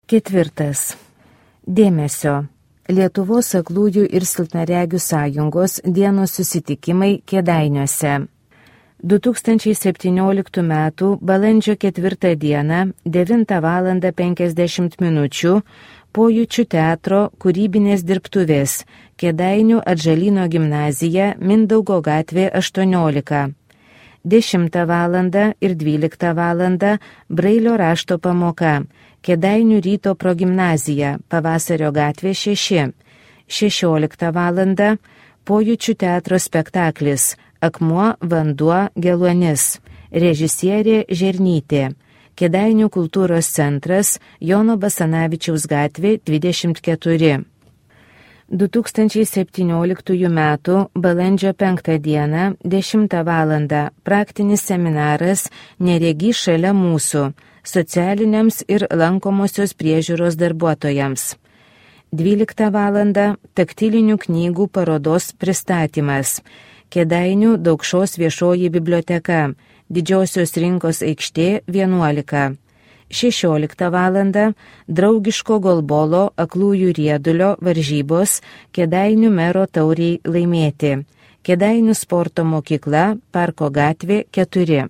4. Dėmesio. Lietuvos aklųjų ir silpnaregių sąjungos dienos susitikimai Kėdainiuose. 2017 m. balandžio 4 d. 9:50 min. Pojūčių teatro kūrybinės dirbtuvės Kėdainių Atžalyno gimnazija Mindaugo gatvė 18. 10 val. ir 12 val. Brailio rašto pamoka Kėdainių ryto progimnazija Pavasario gatvė 6. 16 val. Pojūčių teatro spektaklis Akmuo, vanduo, geluonis. Režisierė Žernytė. Kėdainių kultūros centras Jono Basanavičiaus gatvė 24. 2017 m. balandžio 5 d. 10 val. Praktinis seminaras Neregys šalia mūsų socialiniams ir lankomosios priežiūros darbuotojams. 12 val. Taktilinių knygų parodos pristatymas. Kėdainių Daukšos viešoji biblioteka, Didžiosios rinkos aikštė 11. 16 val. Draugiško golbolo aklųjų riedulio varžybos Kėdainių mero tauriai laimėti. Kėdainių sporto mokykla, Parko gatvė 4.